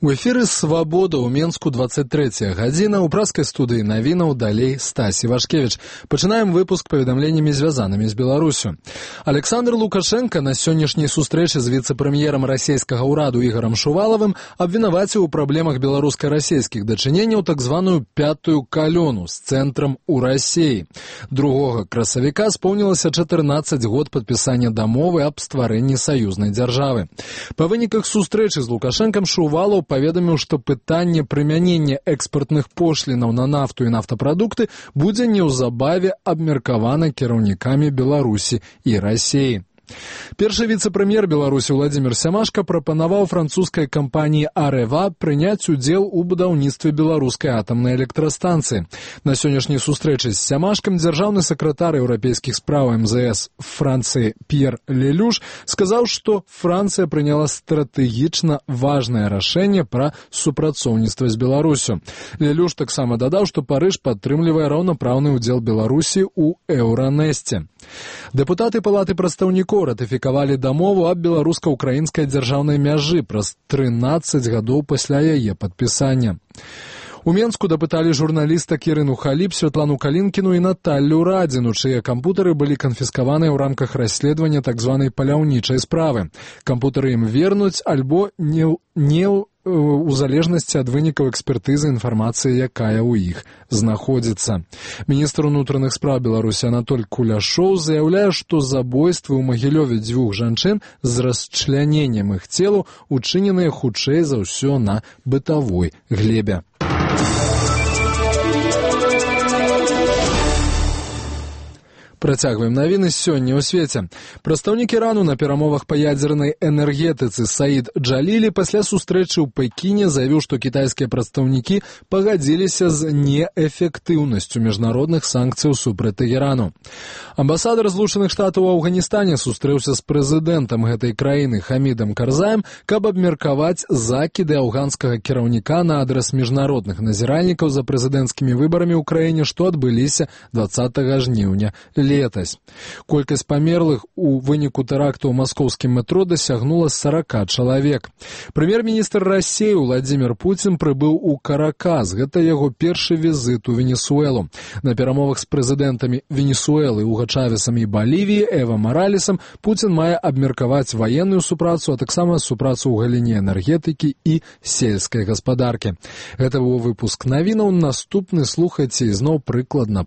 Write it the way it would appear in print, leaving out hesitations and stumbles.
У эфіры «Свабода» ў Менску 23 гадзіна. У праскай студыі навінаў далей Стась Івашкевіч. Пачынаем выпуск паведамленнямі, звязанымі з Беларусю. Александр Лукашенко на сённяшняй сустрэчы з віцэ-прэм'ерам расійскага ўраду Ігорам Шувалавым абвінаваціў у праблемах беларуска-расійскіх дачыненняў так званую пятую калёну з цэнтрам у Расіі. 2 красавіка споўнілася 14 год падпісання дамовы аб стварэнні саюзнай дзяржавы. Па выніках сустрэчы з Лукашэнкам Шувалаў паведаміў, што пытанне прымянення экспартных пошлінаў на нафту і нафтапрадукты будзе неўзабаве абмеркавана кіраўнікамі Беларусі і Расіі. Першы віцэ-прэм'ер Беларусі Владзімір Сямашка прапанаваў французскай кампаніі «Арэва» прыняць удзел у будаўніцтве беларускай атамнай электрастанцыі. На сённяшняй сустрэчы з Сямашкам дзяржаўны сакратар еўрапейскіх спраў МЗС Францыі П'ер Лелюш сказаў, што Францыя прыняла стратэгічна важнае рашэнне пра супрацоўніцтва з Беларусю. Лелюш таксама дадаў, што Парыж падтрымлівае раўнапраўны ўдзел Беларусі ў Еўранэсце. Дэпутаты Палаты прадстаўнікоў ратыфікавалі дамову аб беларуска-украінскай дзяржаўнай мяжы праз 13 гадоў пасля яе падпісання. У Менску дапыталі журналістак Ірыну Халіп, Святлану Калінкіну і Наталлю Радзіну, чые кампутары былі канфіскаваныя ў рамках расследавання так званай паляўнічай справы. Кампутары ім вернуць альбо не у залежнасці ад вынікаў экспертызы інфармацыі, якая ў іх знаходзіцца. Міністр унутраных спраў Беларусі Анатоль Куляшоў заяўляе, што забойствы ў Магілёве 2 жанчын з расчляненнем іх целаў учыненыя хутчэй за ўсё на бытавой глебе. Працягваем навіны сёння ў свеце. Прадстаўнік Ірану на перамовах па ядзернай энергетыцы Саід Джалілі пасля сустрэчы ў Пекіне заявіў, што кітайскія прадстаўнікі пагадзіліся з неэфектыўнасцю міжнародных санкцыяў супраць Тэгэрану. Амбасадар Злучаных Штатаў у Афганістане сустрэўся з прэзідэнтам гэтай краіны Хамідам Карзаем, каб абмеркаваць закіды афганскага кіраўніка на адрас міжнародных назіральнікаў за прэзідэнцкімі выбарамі ў краіне, што адбыліся 20 жніўня летась. Колькасць памерлых у выніку тэракту ў маскоўскім метро дасягнула 40 чалавек. Прэм'ер-міністр Расіі Владзімір Пуцін прыбыў у Каракас. Гэта яго першы візіт у Венесуэлу. На перамовах з прэзідэнтамі Венесуэлы Уга Чавесам і Балівіі Эва Маралесам Пуцін мае абмеркаваць ваенную супрацу, а таксама супрацу ў галіне энергетыкі і сельскай гаспадаркі. Гэта быў выпуск навінаў. Наступны слухайце ізноў прыкладна